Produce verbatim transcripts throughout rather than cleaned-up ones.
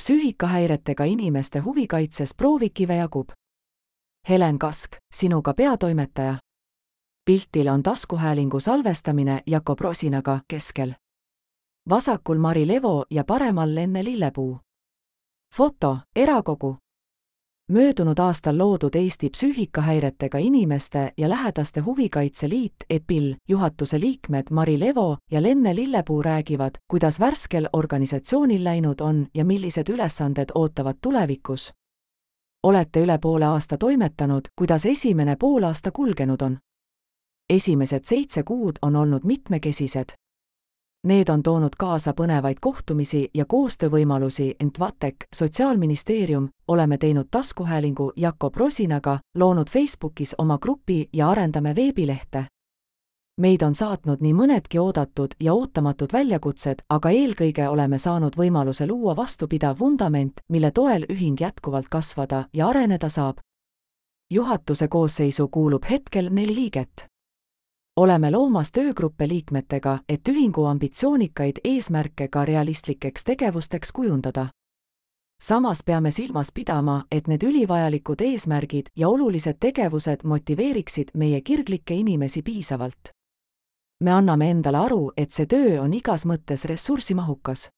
Psüühikahäiretega inimeste huvikaitses proovikive jagub. Helen Kask, sinuga peatoimetaja. Piltil on taskuhäälingu salvestamine Jakob Rosinaga keskel. Vasakul Mari Levo ja paremal Lenne Lillepuu. Foto, erakogu. Möödunud aastal loodud Eesti Psüühikahäiretega inimeste ja lähedaste huvikaitse liit E P I L juhatuse liikmed Mari Levo ja Lenne Lillepuu räägivad, kuidas värskel organisatsioonil läinud on ja millised ülesanded ootavad tulevikus. Olete üle poole aasta toimetanud, kuidas esimene poolaasta kulgenud on? Esimesed seitse kuud on olnud mitmekesised. Need on toonud kaasa põnevaid kohtumisi ja koostöövõimalusi, ent Vatek, Sotsiaalministeerium, oleme teinud taskuhäälingu Jakob Rosinaga, loonud Facebookis oma grupi ja arendame veebilehte. Meid on saatnud nii mõnedki oodatud ja ootamatud väljakutsed, aga eelkõige oleme saanud võimaluse luua vastupidav vundament, mille toel ühing jätkuvalt kasvada ja areneda saab. Juhatuse koosseisu kuulub hetkel neli liiget. Oleme loomas töögruppe liikmetega, et ühingu ambitsioonikaid eesmärke ka realistlikeks tegevusteks kujundada. Samas peame silmas pidama, et need ülivajalikud eesmärgid ja olulised tegevused motiveeriksid meie kirglikke inimesi piisavalt. Me anname endale aru, et see töö on igas mõttes ressursimahukas.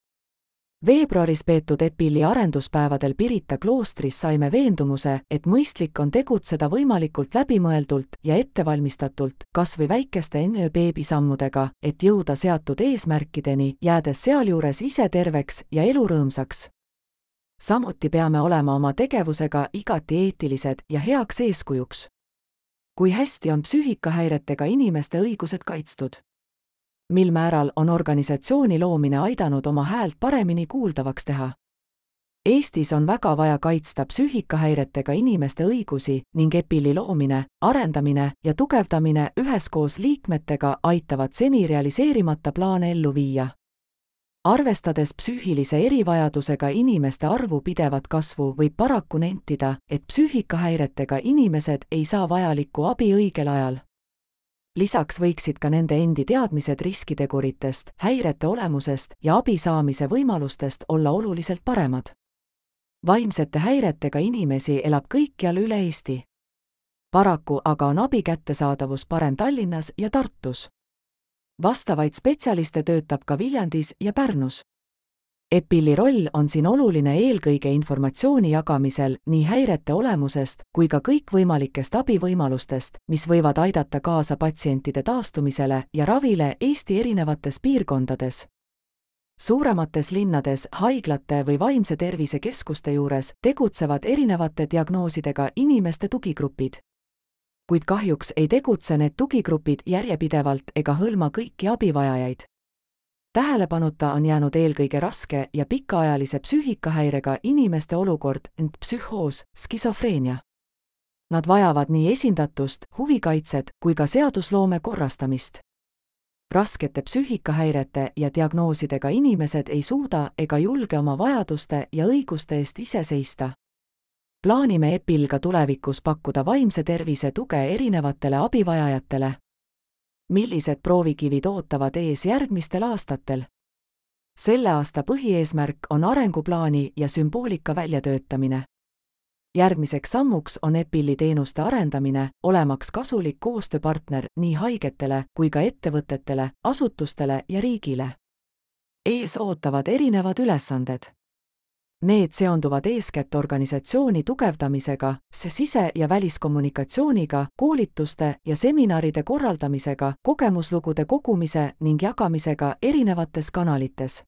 Veebruaris peetud E P I L-i arenduspäevadel Pirita kloostris saime veendumuse, et mõistlik on tegutseda võimalikult läbimõeldult ja ettevalmistatult, kas või väikeste beebisammudega, et jõuda seatud eesmärkideni, jäädes sealjuures ise terveks ja elurõõmsaks. Samuti peame olema oma tegevusega igati eetilised ja heaks eeskujuks. Kui hästi on psüühikahäiretega inimeste õigused kaitstud? Mil määral on organisatsiooni loomine aidanud oma häält paremini kuuldavaks teha? Eestis on väga vaja kaitsta psüühikahäiretega inimeste õigusi ning E P I L-i loomine, arendamine ja tugevdamine üheskoos liikmetega aitavad seni realiseerimata plaane ellu viia. Arvestades psüühilise erivajadusega inimeste arvu pidevat kasvu, võib paraku nentida, et psüühikahäiretega inimesed ei saa vajalikku abi õigel ajal. Lisaks võiksid ka nende endi teadmised riskiteguritest, häirete olemusest ja abi saamise võimalustest olla oluliselt paremad. Vaimsete häiretega inimesi elab kõikjal üle Eesti. Paraku aga on abi kättesaadavus parem Tallinnas ja Tartus. Vastavaid spetsialiste töötab ka Viljandis ja Pärnus. E P I L-i roll on siin oluline eelkõige informatsiooni jagamisel nii häirete olemusest kui ka kõikvõimalikest abivõimalustest, mis võivad aidata kaasa patsientide taastumisele ja ravile Eesti erinevates piirkondades. Suuremates linnades, haiglate või vaimse tervise keskuste juures tegutsevad erinevate diagnoosidega inimeste tugigrupid. Kuid kahjuks ei tegutse need tugigrupid järjepidevalt ega hõlma kõiki abivajajaid. Tähelepanuta on jäänud eelkõige raske ja pikaajalise psüühikahäirega inimeste olukord, ent psühhoos, skisofreenia. Nad vajavad nii esindatust, huvikaitset kui ka seadusloome korrastamist. Raskete psüühikahäirete ja diagnoosidega inimesed ei suuda ega julge oma vajaduste ja õiguste eest ise seista. Plaanime E P I L-ga tulevikus pakkuda vaimse tervise tuge erinevatele abivajajatele. Millised proovikivid ootavad ees järgmistel aastatel? Selle aasta põhieesmärk on arenguplaani ja sümboolika väljatöötamine. Järgmiseks sammuks on E P I L-i teenuste arendamine, olemaks kasulik koostööpartner nii haigetele kui ka ettevõtetele, asutustele ja riigile. Ees ootavad erinevad ülesanded. Need seonduvad eeskätt organisatsiooni tugevdamisega, sise- ja väliskommunikatsiooniga, koolituste ja seminaride korraldamisega, kogemuslugude kogumise ning jagamisega erinevates kanalites.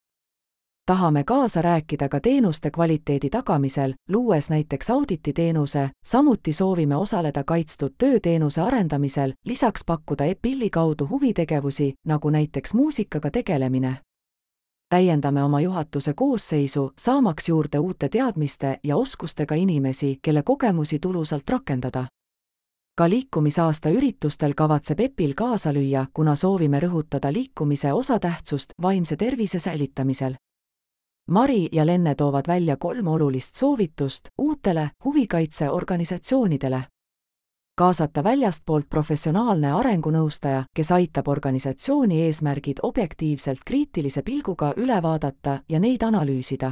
Tahame kaasa rääkida ka teenuste kvaliteedi tagamisel, luues näiteks audititeenuse, samuti soovime osaleda kaitstud tööteenuse arendamisel, lisaks pakkuda E P I L-i kaudu huvitegevusi, nagu näiteks muusikaga tegelemine. Täiendame oma juhatuse koosseisu, saamaks juurde uute teadmiste ja oskustega inimesi, kelle kogemusi tulusalt rakendada. Ka liikumisaasta üritustel kavatseb E P I L kaasa lüüa, kuna soovime rõhutada liikumise osatähtsust vaimse tervise säilitamisel. Mari ja Lenne toovad välja kolm olulist soovitust uutele huvikaitseorganisatsioonidele. Kaasata väljastpoolt professionaalne arengunõustaja, kes aitab organisatsiooni eesmärgid objektiivselt kriitilise pilguga üle vaadata ja neid analüüsida.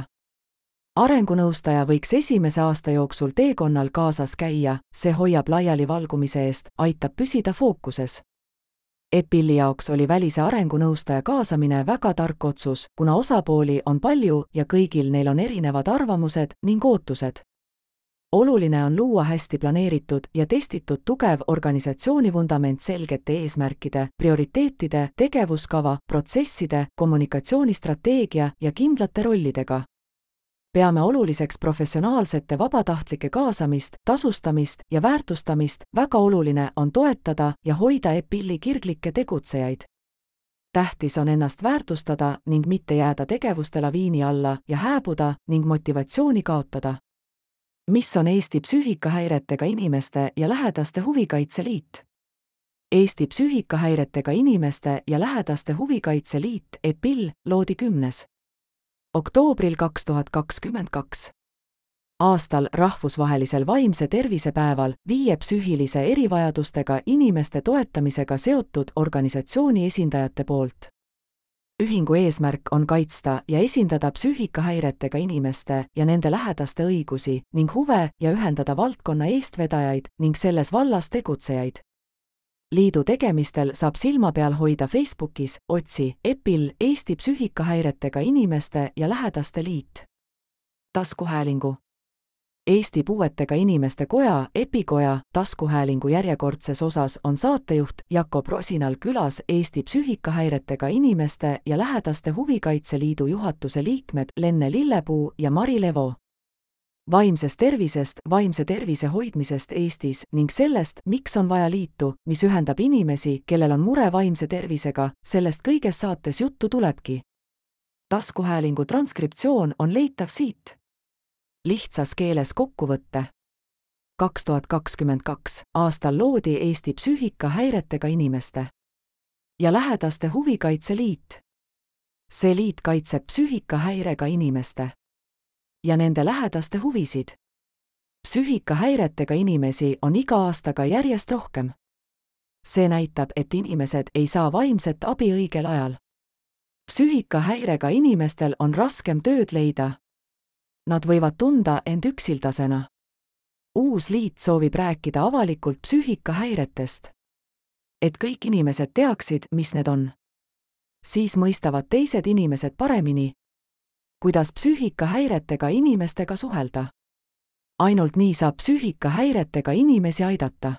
arengunõustaja võiks esimese aasta jooksul teekonnal kaasas käia, see hoiab laiali valgumise eest, aitab püsida fookuses. EPIL-i jaoks oli välise arengunõustaja kaasamine väga tark otsus, kuna osapooli on palju ja kõigil neil on erinevad arvamused ning ootused. Oluline on luua hästi planeeritud ja testitud tugev organisatsiooni vundament selgete eesmärkide, prioriteetide, tegevuskava, protsesside, kommunikatsioonistrateegia ja kindlate rollidega. Peame oluliseks professionaalsete vabatahtlike kaasamist, tasustamist ja väärtustamist, väga oluline on toetada ja hoida EPIL-i kirglikke tegutsejaid. Tähtis on ennast väärtustada ning mitte jääda tegevuste laviini alla ja hääbuda ning motivatsiooni kaotada. Mis on Eesti psüühikahäiretega inimeste ja lähedaste huvikaitse liit? Eesti psüühikahäiretega inimeste ja lähedaste huvikaitse liit EPIL loodi kümnes oktoobril kaks tuhat kakskümmend kaks. Aastal rahvusvahelisel vaimse tervise päeval viie psüühilise erivajadustega inimeste toetamisega seotud organisatsiooni esindajate poolt. Ühingu eesmärk on kaitsta ja esindada psüühikahäiretega inimeste ja nende lähedaste õigusi ning huve ja ühendada valdkonna eestvedajaid ning selles vallas tegutsejaid. Liidu tegemistel saab silma peal hoida Facebookis, otsi EPIL Eesti psüühikahäiretega inimeste ja lähedaste liit. Taskuhäälingu Eesti Puuetega Inimeste Koja, EPIKoja, taskuhäälingu järjekordses osas on saatejuht Jako Prosinal külas Eesti Psüühikahäiretega Inimeste ja Lähedaste Huvikaitse Liidu juhatuse liikmed Lenne Lillepuu ja Mari Levo. Vaimsest tervisest, vaimse tervise hoidmisest Eestis ning sellest, miks on vaja liitu, mis ühendab inimesi, kellel on mure vaimse tervisega, sellest kõiges saates juttu tulebki. Taskuhäälingu transkriptsioon on leitav siit. Lihtsas keeles kokkuvõtte. kaks tuhat kakskümmend kaks aastal loodi Eesti Psüühikahäiretega Inimeste ja Lähedaste Huvikaitse Liit. See liit kaitseb psüühikahäirega inimeste ja nende lähedaste huvisid. Psüühikahäiretega inimesi on iga aastaga järjest rohkem. See näitab, et inimesed ei saa vaimset abi õigel ajal. Psüühikahäirega inimestel on raskem tööd leida. Nad võivad tunda end üksildasena. Uus liit soovib rääkida avalikult psüühikahäiretest. Et kõik inimesed teaksid, mis need on. Siis mõistavad teised inimesed paremini, kuidas psüühikahäiretega inimestega suhelda. Ainult nii saab psüühikahäiretega inimesi aidata.